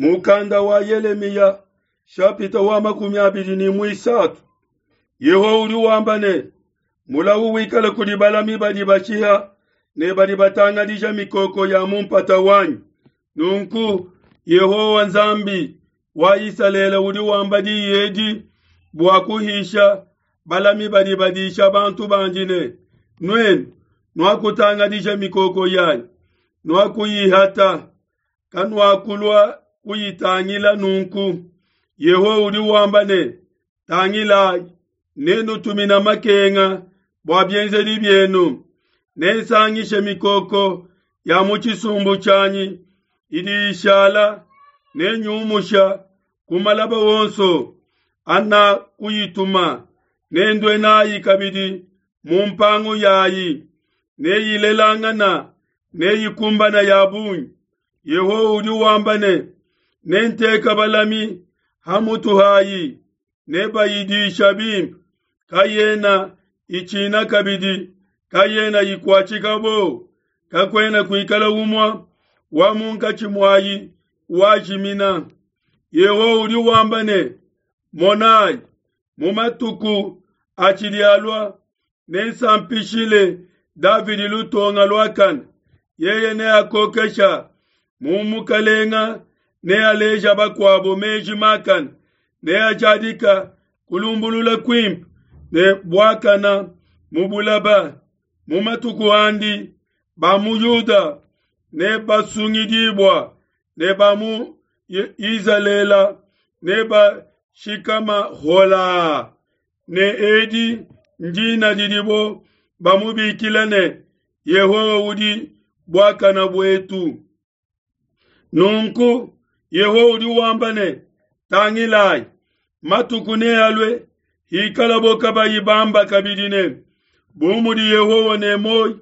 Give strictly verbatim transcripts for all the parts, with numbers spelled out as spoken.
Mukanda wa Yelemiya shapita wa makumi abidi ne muisatu. Yehowa udi wamba ne, mulawu wikale kudi balami badi bashiha ne badi batangadija mikoko ya mu mpata wanyi. Nunku Yehowa Nzambi wa Isalele udi wamba diyi edi bua kuhisha balami badi badisha bantu bandi ne, nuenu nuakutangadija mikoko yanyi, nuakuyihata, kanuakulua kuyitangila. Nunku Yehowa udi wamba ne, tangilayi, nenutumina makenga bua bienzedi bienu, nensangishe mikoko ya mu tshisumbu tshianyi idi ishala, nenyumusha ku malaba wonso ana kuyituma, nendue nayi kabidi mu mpangu yayi, neyilelangana neyikumbana ya bungi. Yehowa udi wamba ne, nenteka balami ha mutu hayi, nebayidisha bimpe, kayena itshina kabidi, kayena ikuatshika bo, kakuena kuikala umue wa munkatshi muayi wajimina. Yehowa udi wamba ne, monayi, mu matuku atshidi alua, nensampishile Davidi lutonga luakane, yeye neakokesha mu mukalenga, nealeja bakuabo meji makane, neajadika kulumbulula kuimpe ne buakana mu bulaba. Mu matuku andi ba mu Yuda ne basungidibua, ne ba mu Izalele ne bashikama hola, ne edi ndina didibo bamubikila ne, Yehowa udi buakana buetu. Nunku Yehowa udi wamba ne, tangilayi, matuku nealue hikalabo kabayi bamba kabidi ne, bu mudi Yehowa ne muoyo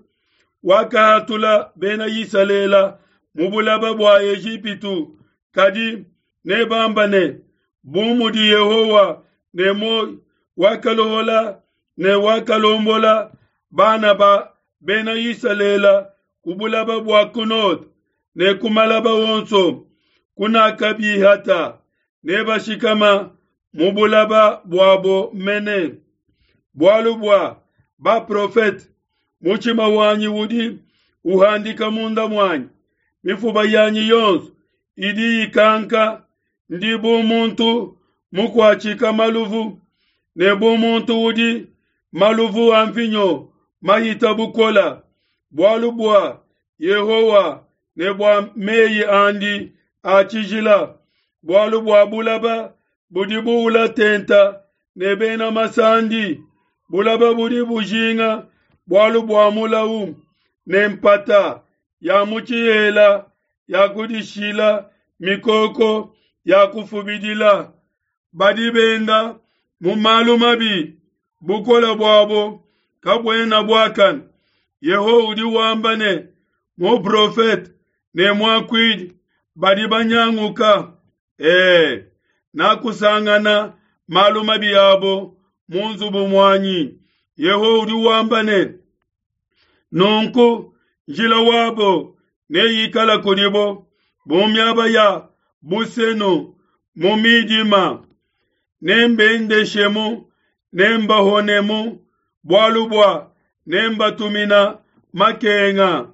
wakahatula bena Isalele mu bulaba bua Ejipitu, kadi nebamba ne, bu mudi Yehowa ne muoyo wakalohola ne wakalombola bana ba bena Isalele ku bulaba bua ku node ne ku malaba wonso kunakabihata, nebashikama mu bulaba buabo mene. Bualu bua baprofete, mutshima wanyi udi uhandika munda muanyi, mifuba yanyi yonso idi ikanka, ndi bu muntu mukuatshika maluvu, ne bu muntu udi maluvu a mvinyo mahita bukola. Bualu bua Yehowa ne bua meyi andi a tshijila, bualu bua bulaba budi buula tenta ne bena masandi, bulaba budi bujinga bualu bua mulawu, ne mpata ya mu tshihela ya kudishila mikoko ya kufubidila. Badi benda mu malu mabi, bukole buabo kabuena buakane. Yehowa udi wamba ne, muprofete ne muakuidi badi banyanguka. E, nakusangana malu mabi abo mu nzubu muanyi. Yehowa udi wamba ne, nunku njila wabo neyikala kudibo bu miaba ya busenu mu midima, nembendeshemu, nembahonemu, bualu bua nembatumina makenga.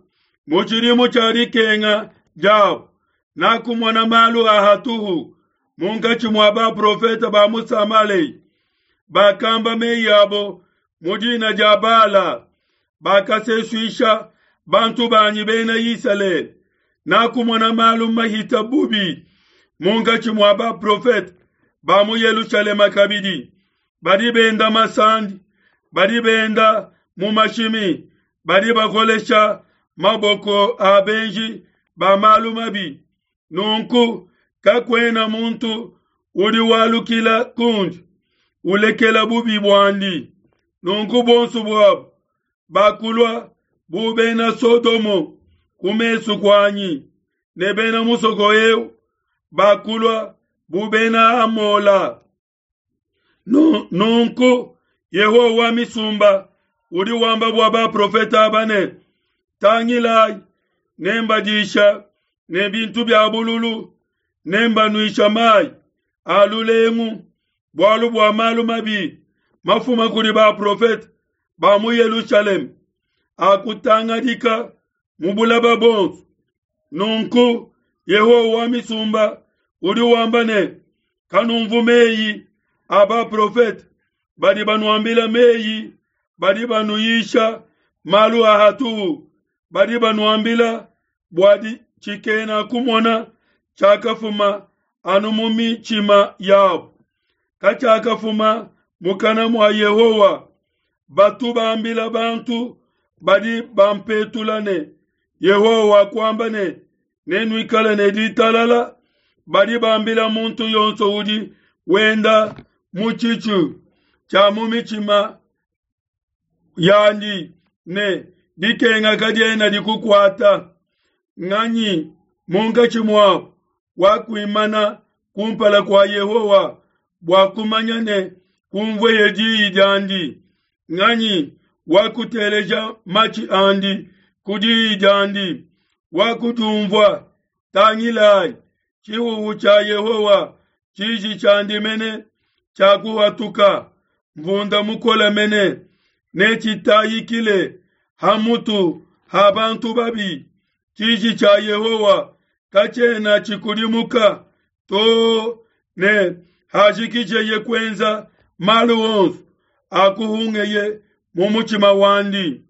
Mu tshidimu tshia dikenga diabo nakumona malu a hatuhu munkatshi mua baprofete ba mu Samalei, bakamba meyi abo mu dina dia Bala, bakasesuisha bantu banyi bena Isalele. Nakumona malu mahita bubi munkatshi mua baprofete ba mu Yelushalema kabidi, badi benda masandi, badi benda mu mashimi, badi bakolesha maboko a benji ba malu mabi. Nunku kakuena muntu udi walukila kundi ulekela bubi buandi. Nunku bonso buabo bakulua bu bena Sodomo ku mesu kuanyi, ne bena musoko eu bakulua bu bena Amola. Nunku Yehowa wa misumba udi wamba bua baprofete aba ne, tangilayi, nembadisha ne bintu bia bululu, Nembanuisha mayi a lulengu, bualu bua malu mabi mafuma kudi baprofete ba mu Yelushalema akutangadika mu bulaba bonso. Nunku Yehowa wa misumba udi wamba ne, kanumvu meyi a baprofete badi banuambila meyi, badi banuyisha malu a hatuhu, badi banuambila bua tshikena kumona tshiakafuma anu mu mitshima yabo, katshiakafuma mukana mua Yehowa. Batu bambila bantu badi bampetula ne, Yehowa wakuamba ne, nenuikale ne ditalala. Badi bambila muntu yonso udi wenda mu tshitshu tshia mu mitshima yandi ne, dikenga kadiena dikukuata. Nganyi munkatshi muabu wakuimana kumpala kua Yehowa bua kumanya ne kumvueye diyi diandi? Nganyi wakuteleja matshi andi ku diyi diandi, wakudiumvua? Tangilayi, tshihuhu tshia Yehowa, tshiji tshiandi mene tshiakuhatuka, mvunda mukole mene netshitayikile ha mutu ha bantu babi. Tshiji tshia Yehowa katshiena tshikudimuka to ne hajikijeye kuenza malu onso akuhungeye mu mutshima wandi.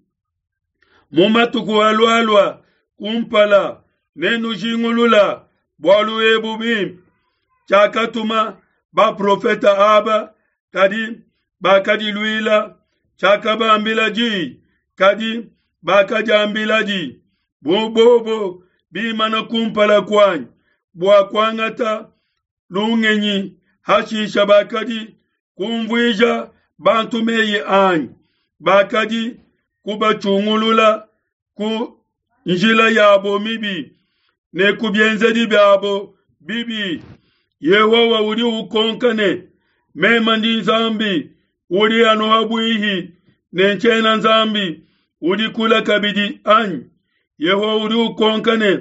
Mu matuku alualua kumpala nenujingulula bualu ebu bimpe. Tshiakatuma baprofete aba, kadi bakadiluila, tshiakabambila diyi, kadi bakadiambiladi. Bu bobo bimana kumpala kuanyi bua kuangata lungenyi, hashisha bakadi kumvuija bantu meyi anyi, bakadi kubatshungulula ku njila yabo mibi ne ku bienzedi biabo bibi. Yehowa udi ukonka ne, meme ndi Nzambi udi anu habuihi ne ntshiena Nzambi udi kule kabidi anyi? Yehowa udi ukonka ne,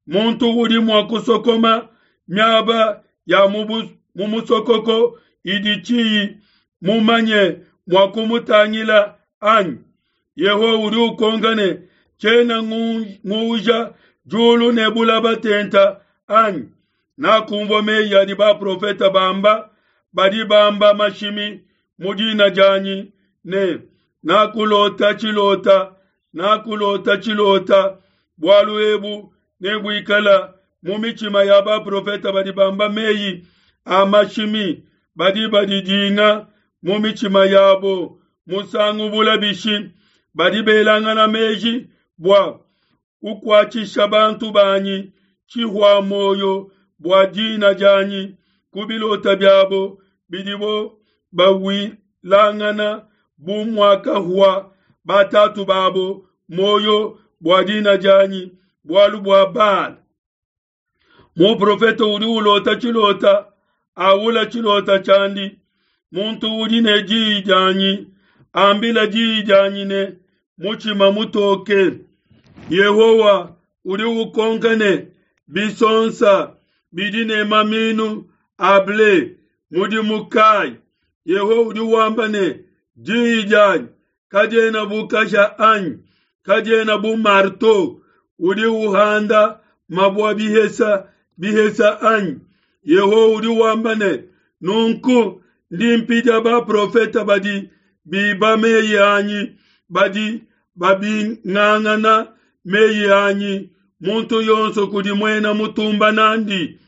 muntu udi mua kusokoma miaba ya mu musokoko idi tshiyi mumanye mua kumutangila anyi? Yehowa udi ukonka ne, tshiena nguuja diulu ne bulaba tenta anyi? Nakumvua meyi adi baprofete bamba, badi bamba mashimi mu dina dianyi ne, nakulota tshilota, nakulota tshilota. Bualu ebu nebuikala mu mitshima ya baprofete badi bamba meyi a mashimi, badi badidinga mu mitshima yabo musangu bula bishi, badi belangana meji bua kukuatshisha bantu banyi tshihua moyo bua dina dianyi ku bilota biabo bidibo bawilangana bu muakahua batatu babo moyo bua dina dianyi bualu bua Baal. Muprofete udi ulota tshilota, awula tshilota tshiandi. Muntu udi ne diyi dianyi, ambila diyi dianyi ne mutshima mutoke. Yehowa udi ukonka ne, bisonsa bidi ne maminu a ble mudimu kayi? Yehowa udi wamba ne, diyi dianyi kadiena bu kasha anyi, kadiena bu marteau udi uhanda mabua bihesa bihesa anyi? Yehowa udi wamba ne, nunku ndi mpidia baprofete badi biba meyi anyi, badi babingangana meyi anyi, muntu yonso kudi muena mutumba nandi.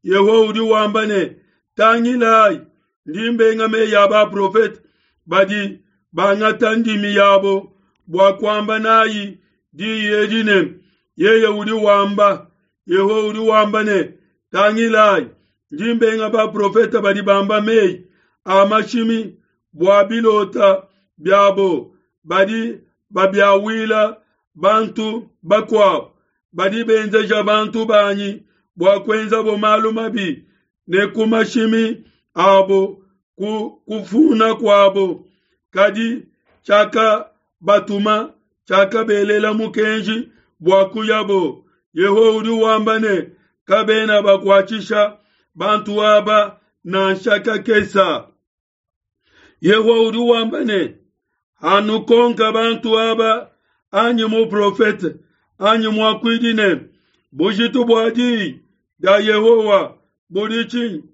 Yehowa udi wamba ne, tangilayi, ndi mbenga meyi a baprofete badi bangata ndimi yabo bua kuamba nayi diyi edi ne, yeye udi wamba. Yehowa udi wamba ne, tangilayi, ndi mbenga baprofete badi bamba meyi a mashimi bua bilota biabo, badi babiawila bantu bakuabo, badi benzeja bantu banyi bua kuenzabo malu mabi ne ku mashimi abo ku kufuna kuabo. Kadi tshiakabatuma, tshiakabelela mukenji bua kuyabo. Yehowa udi wamba ne, Kabena bakuatshisha bantu aba nansha kakesa. Yehowa udi wamba ne, hanukonka bantu aba anyi muprofete anyi muakuidi ne, bujitu bua diyi dia Yehowa budi tshinyi?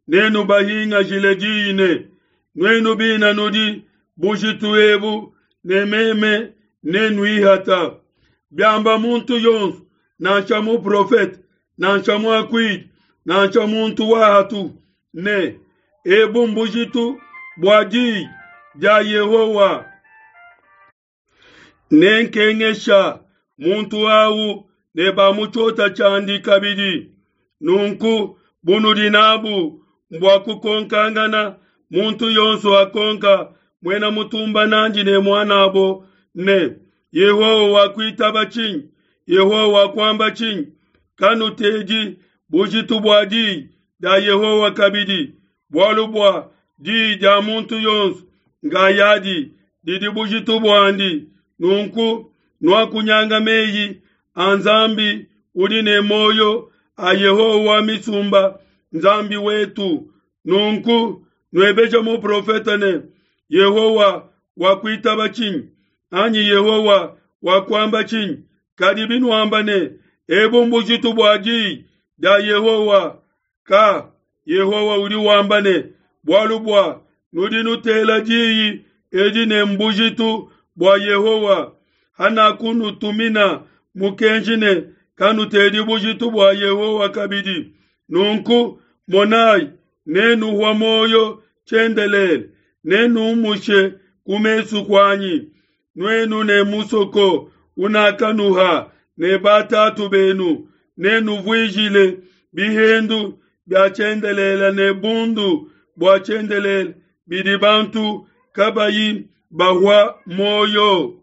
Nenubahingajile diyi ne, nuenu bina nudi bujitu ebu ne meme nenuihata. Biamba muntu yonso, nansha muprofete, nansha muakuidi, nansha muntu wa hatu ne, ebu mbujitu bua diyi dia Yehowa. Nenkengesha muntu awu ne ba mu tshiota tshiandi kabidi. Nunku bunudi nabu mbua kukonkangana, muntu yonso akonka muena mutumba nandi ne muanabo ne, Yehowa wakuitaba tshinyi? Yehowa wakuamba tshinyi? Kanutedi bujitu bua diyi dia Yehowa kabidi, bualu bua diyi dia muntu yonso ngayadi didi bujitu buandi. Nunku nuakunyanga meyi a Nzambi udi ne muoyo a Yehowa wa misumba, Nzambi wetu. Nunku nuebeje muprofete ne, Yehowa wakuitaba tshinyi? Anyi Yehowa wakuamba tshinyi? Kadi binuamba ne, ebu mbujitu bua diyi dia Yehowa, ka Yehowa udi wamba ne, bualu bua nudi nutela diyi edi ne mbujitu bua Yehowa, hanakunutumina mukenji ne, kanutedi bujitu bua Yehowa kabidi. Nunku monai, nenuhua muoyo tshiendelele, nenumushe ku mesu kuanyi, nuenu ne musoko unakanuha ne batatu benu, nenuvuijile bihendu bia tshiendelele ne bundu bua tshiendelele bidi bantu kabayi bahua muoyo.